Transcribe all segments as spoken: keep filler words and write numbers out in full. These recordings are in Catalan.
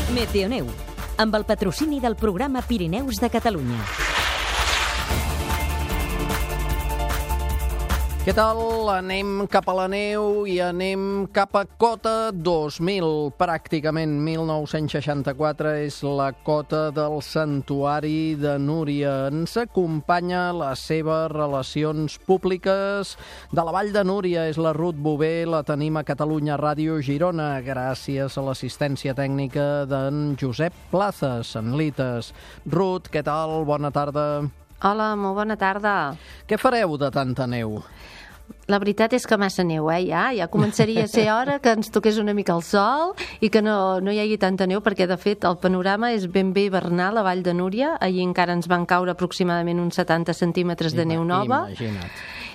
Meteoneu, amb el patrocini del programa Pirineus de Catalunya. Què tal? Anem cap a la neu i anem cap a cota dos mil. Pràcticament mil nou-cents seixanta-quatre és la cota del Santuari de Núria. Ens acompanya les seves relacions públiques de la Vall de Núria. És la Ruth Bové, la tenim a Catalunya Ràdio Girona, gràcies a l'assistència tècnica d'en Josep Plazas, en Lites. Ruth, què tal? Bona tarda. Hola, molt bona tarda. Què fareu de tanta neu? La veritat és que massa neu, eh, ja. Ja començaria a ser hora que ens toqués una mica el sol i que no, no hi hagi tanta neu, perquè, de fet, el panorama és ben bé hivernal a Vall de Núria. Ahir encara ens van caure aproximadament uns setanta centímetres de neu nova. Imagina't.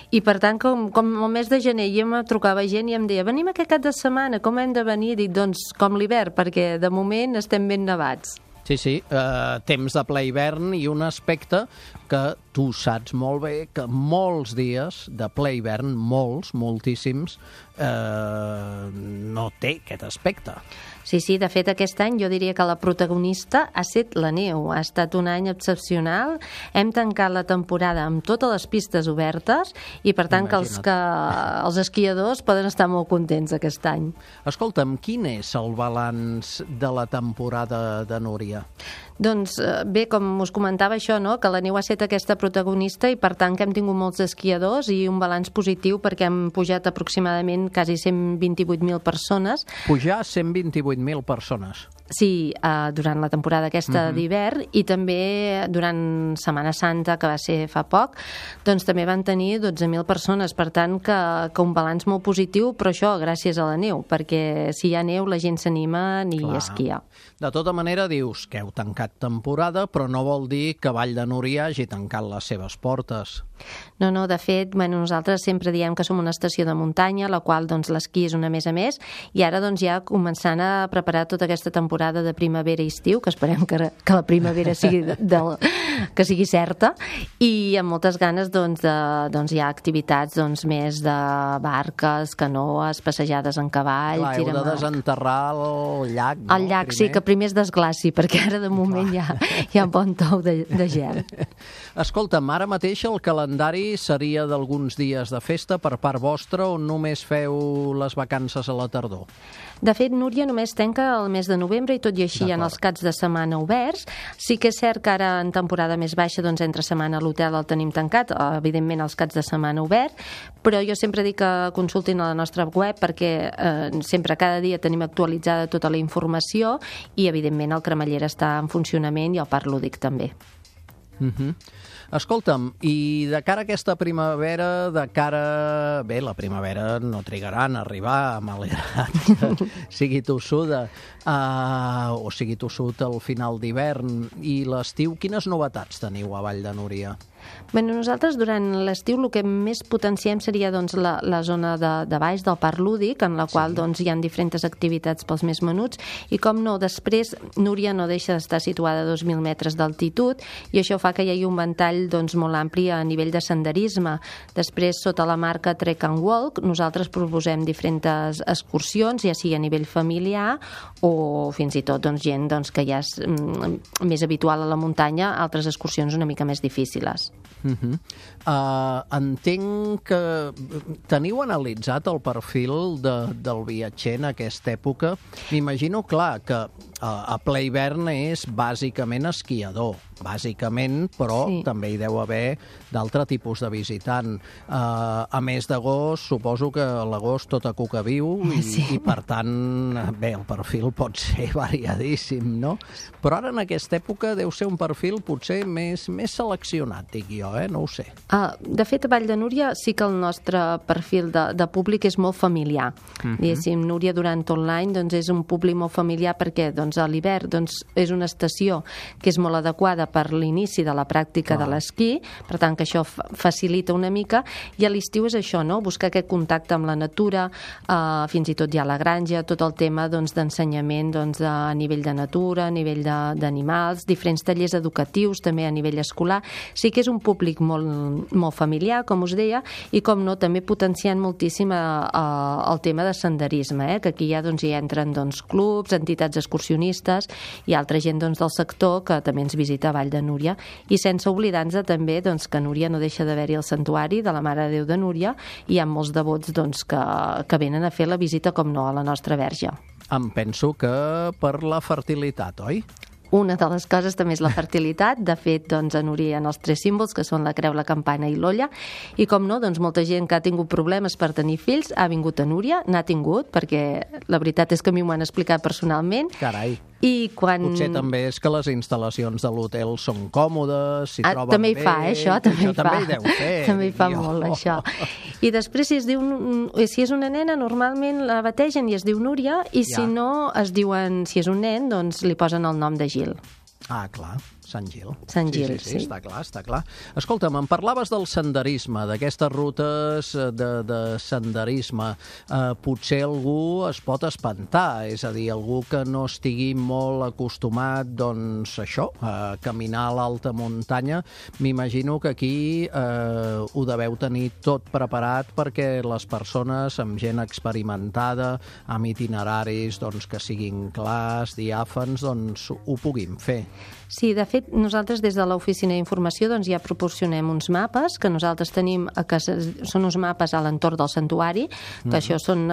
I, per tant, com, com el mes de gener ja em trucava gent i em deia, venim aquest cap de setmana, com hem de venir? Dic, doncs, com l'hivern, perquè de moment estem ben nevats. Sí, sí, eh, temps de ple hivern i un aspecte que tu saps molt bé que molts dies de ple hivern, molts, moltíssims, eh, no té aquest aspecte. Sí, sí, de fet aquest any jo diria que la protagonista ha estat la neu. Ha estat un any excepcional. Hem tancat la temporada amb totes les pistes obertes i per tant que els, que els esquiadors poden estar molt contents aquest any. Escolta'm, quin és el balanç de la temporada de Núria? Doncs bé, com us comentava això, no? Que la neu ha estat aquesta protagonista i per tant que hem tingut molts esquiadors i un balanç positiu perquè hem pujat aproximadament quasi cent vint-i-vuit mil persones. Pujar cent vint-i-vuit mil persones. Sí, eh, durant la temporada aquesta uh-huh. d'hivern i també durant Setmana Santa, que va ser fa poc, doncs també van tenir dotze mil persones, per tant que, que un balanç molt positiu, però això gràcies a la neu, perquè si hi ha neu la gent s'anima ni Clar. esquia. De tota manera dius que heu tancat temporada, però no vol dir que Vall de Núria hagi tancat les seves portes. No, no, de fet, bueno, nosaltres sempre diem que som una estació de muntanya, la qual doncs l'esquí és una més a més, i ara doncs ja començant a preparar tota aquesta temporada de primavera i estiu, que esperem que, que la primavera sigui, de, de, que sigui certa, i amb moltes ganes doncs, de, doncs hi ha activitats doncs, més de barques, canoes, passejades en cavall... Clar, heu de desenterrar el llac, no? El llac, primer? Sí, que primer es desglaci, perquè ara de moment hi ha, hi ha un bon tou de, de gel. Escolta'm, ara mateix el calendari seria d'alguns dies de festa per part vostra o només feu les vacances a la tardor? De fet, Núria només tanca el mes de novembre i tot i així en els caps de setmana oberts. Sí que és cert que ara en temporada més baixa, doncs entre setmana l'hotel el tenim tancat, evidentment els caps de setmana obert, però jo sempre dic que consultin a la nostra web perquè eh, sempre cada dia tenim actualitzada tota la informació i evidentment el cremallera està en funcionament i el parc lúdic també. Uh-huh. Escolta'm, i de cara a aquesta primavera, de cara... Bé, la primavera no trigaran a arribar, malgrat que sigui tossuda, uh, o sigui tossut al final d'hivern. I l'estiu, quines novetats teniu a Vall de Núria? Bueno, nosaltres durant l'estiu el que més potenciem seria doncs, la, la zona de, de baix del parc lúdic, en la qual sí. doncs, hi ha diferents activitats pels més menuts, i com no, després Núria no deixa d'estar situada a dos mil metres d'altitud i això fa que hi hagi un ventall doncs, molt ampli a nivell de senderisme. Després, sota la marca Trek and Walk, nosaltres proposem diferents excursions, ja sigui a nivell familiar o fins i tot doncs, gent doncs, que ja és mm, més habitual a la muntanya, altres excursions una mica més difícils. Uh-huh. uh, entenc que teniu analitzat el perfil de, del viatger en aquesta època. M'imagino, clar, que uh, a ple hivern és bàsicament esquiador, bàsicament, però sí. també hi deu haver d'altre tipus de visitant. Uh, a més d'agost, suposo que l'agost tota cuca viu i, sí. i per tant, bé, el perfil pot ser variadíssim, no? Però ara en aquesta època deu ser un perfil potser més, més seleccionat, dic jo, eh? No ho sé. Uh, de fet, a Vall de Núria sí que el nostre perfil de, de públic és molt familiar. Uh-huh. Diguéssim, Núria durant tot l'any doncs, és un públic molt familiar perquè doncs, a l'hivern doncs, és una estació que és molt adequada preparada per l'inici de la pràctica de l'esquí, per tant que això facilita una mica, i a l'estiu és això, no? Buscar aquest contacte amb la natura, eh, fins i tot ja a la granja, tot el tema doncs, d'ensenyament doncs, a nivell de natura, a nivell d'animals, diferents tallers educatius també a nivell escolar. Sí que és un públic molt, molt familiar, com us deia, i com no, també potenciant moltíssim a, a, el tema de senderisme, eh? Que aquí ja doncs, hi entren doncs, clubs, entitats excursionistes i altra gent doncs, del sector que també ens visita a Vall de Núria, i sense oblidar-nos també doncs, que a Núria no deixa d'haver-hi el santuari de la Mare de Déu de Núria, i hi ha molts devots doncs, que, que venen a fer la visita, com no, a la nostra Verge. Em penso que per la fertilitat, oi? Una de les coses també és la fertilitat. De fet, doncs, a Núria hi ha els tres símbols, que són la creu, la campana i l'olla, i com no, doncs, molta gent que ha tingut problemes per tenir fills ha vingut a Núria, n'ha tingut, perquè la veritat és que a mi m'ho han explicat personalment. Carai. I quan... Potser també és que les instal·lacions de l'hotel són còmodes, s'hi ah, troben també hi bé... fa, eh, això, també això hi fa. També hi deu fer. També hi fa jo. molt, això. I després, si es diu, si és una nena, normalment la bategen i es diu Núria, i ja. Si no, es diuen, si és un nen, doncs li posen el nom de Gil. Ah, clar, Sant Gil. Sant Gil, sí, sí, sí, sí. està clar, està clar. Escolta'm, em parlaves del senderisme, d'aquestes rutes de, de senderisme. Eh, potser algú es pot espantar, és a dir, algú que no estigui molt acostumat, doncs, això, a caminar a l'alta muntanya. M'imagino que aquí eh, ho deveu tenir tot preparat perquè les persones amb gent experimentada, amb itineraris doncs, que siguin clars, diàfans, doncs ho puguin fer. Sí, de fet, nosaltres des de l'oficina d'informació doncs, ja proporcionem uns mapes que nosaltres tenim, que són uns mapes a l'entorn del santuari, que mm-hmm. això són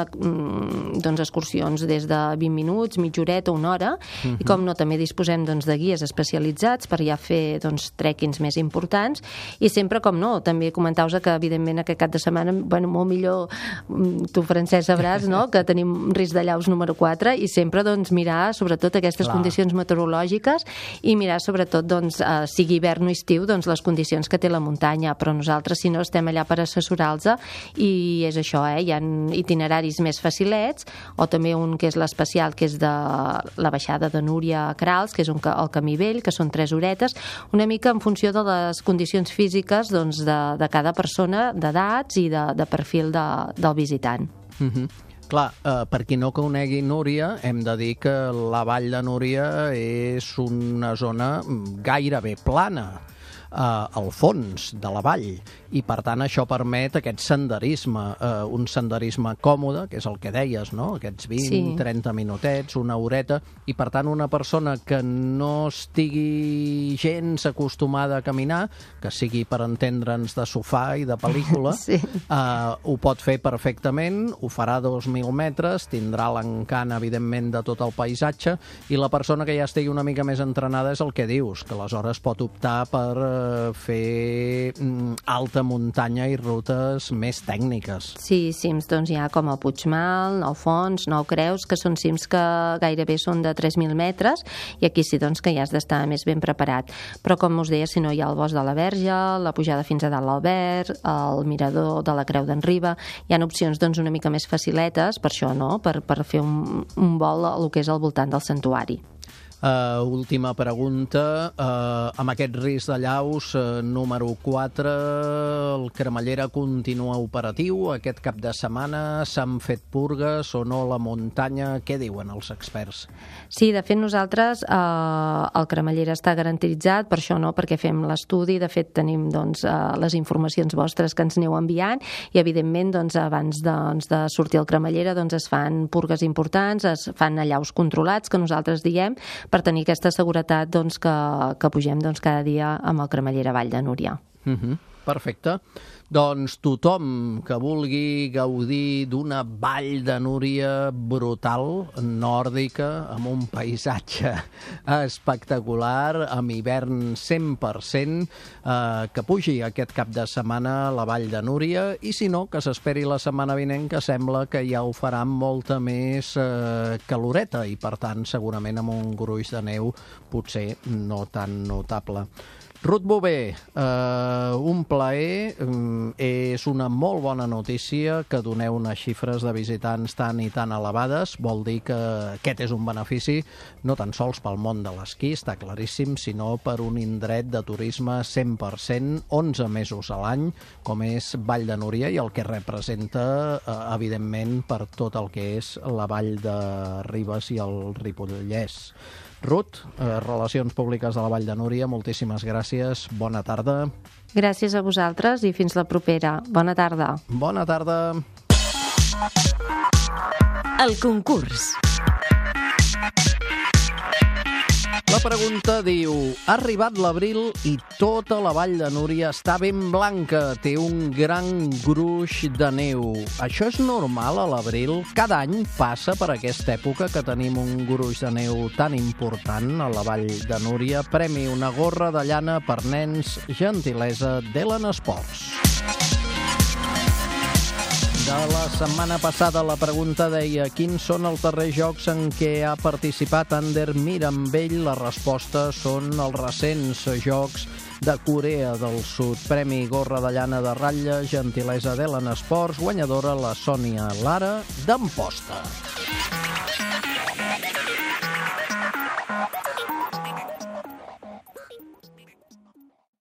doncs, excursions des de vint minuts, mitja horeta, una hora, mm-hmm. i com no, també disposem doncs, de guies especialitzats per ja fer doncs, trekkings més importants, i sempre, com no, també comentar-vos que, evidentment, aquest cap de setmana, bueno, molt millor, tu, Francesc, sabràs, no?, que tenim risc de llaus número quatre, i sempre doncs, mirar, sobretot, aquestes Clar. Condicions meteorològiques, i mirar sobretot, doncs, eh, sigui hivern o estiu, doncs, les condicions que té la muntanya, però nosaltres, si no, estem allà per assessorar-los, i és això, eh? Hi ha itineraris més facilets, o també un que és l'especial, que és de la baixada de Núria a Crals, que és un, el Camí Vell, que són tres horetes, una mica en funció de les condicions físiques doncs, de, de cada persona, d'edats i de, de perfil de, del visitant. Mhm. Clar, eh, per qui no conegui Núria, hem de dir que la Vall de Núria és una zona gairebé plana eh, al fons de la vall, i per tant això permet aquest senderisme, eh, un senderisme còmode, que és el que deies, no? Aquests vint, sí. trenta minutets, una horeta, i per tant una persona que no estigui gens acostumada a caminar, que sigui per entendre'ns de sofà i de pel·lícula, sí. eh, ho pot fer perfectament, ho farà dos mil metres, tindrà l'encant, evidentment, de tot el paisatge, i la persona que ja estigui una mica més entrenada és el que dius, que aleshores pot optar per eh, fer mm, alta muntanya i rutes més tècniques. Sí, cims doncs hi ha com el Puigmal, Nou Fons, Nou Creus, que són cims que gairebé són de tres mil metres, i aquí sí doncs que ja has d'estar més ben preparat. Però com us deia, si no hi ha el Bosc de la Verge, la pujada fins a dalt l'Albert, el mirador de la Creu d'en Riba, hi ha opcions doncs una mica més faciletes, per això, no?, per, per fer un, un vol a lo que és al voltant del santuari. Uh, última pregunta. Uh, amb aquest risc de llaus, uh, número quatre, el Cremallera continua operatiu. Aquest cap de setmana s'han fet purgues o no la muntanya? Què diuen els experts? Sí, de fet nosaltres uh, el Cremallera està garantitzat, per això no, perquè fem l'estudi. De fet tenim doncs, uh, les informacions vostres que ens aneu enviant, i evidentment doncs, abans de, doncs, de sortir al Cremallera doncs, es fan purgues importants, es fan allaus controlats, que nosaltres diem, per tenir aquesta seguretat doncs, que, que pugem doncs, cada dia amb el Cremallera Vall de Núria. Uh-huh. Perfecte. Doncs tothom que vulgui gaudir d'una Vall de Núria brutal, nòrdica, amb un paisatge espectacular, amb hivern cent per cent, eh, que pugi aquest cap de setmana a la Vall de Núria, i si no, que s'esperi la setmana vinent, que sembla que ja ho farà amb molta més eh, caloreta, i per tant segurament amb un gruix de neu potser no tan notable. Ruth Bové, eh, un plaer. És una molt bona notícia que doneu unes xifres de visitants tan i tan elevades. Vol dir que aquest és un benefici no tan sols pel món de l'esquí, està claríssim, sinó per un indret de turisme cent per cent, onze mesos a l'any, com és Vall de Núria, i el que representa, eh, evidentment, per tot el que és la Vall de Ribes i el Ripollès. Ruth, eh, Relacions Públiques de la Vall de Núria, moltíssimes gràcies. Bona tarda. Gràcies a vosaltres i fins la propera. Bona tarda. Bona tarda. El concurs. La pregunta diu: ha arribat l'abril i tota la Vall de Núria està ben blanca, té un gran gruix de neu. Això és normal a l'abril? Cada any passa per aquesta època que tenim un gruix de neu tan important a la Vall de Núria. Premi una gorra de llana per nens, gentilesa d'Elen Sports. De la setmana passada la pregunta deia: quins són els darrers jocs en què ha participat Ander Mirambell? La resposta són els recents jocs de Corea del Sud. Premi gorra de llana de ratlla, gentilesa d'Elen Sports, guanyadora la Sònia Lara d'Amposta.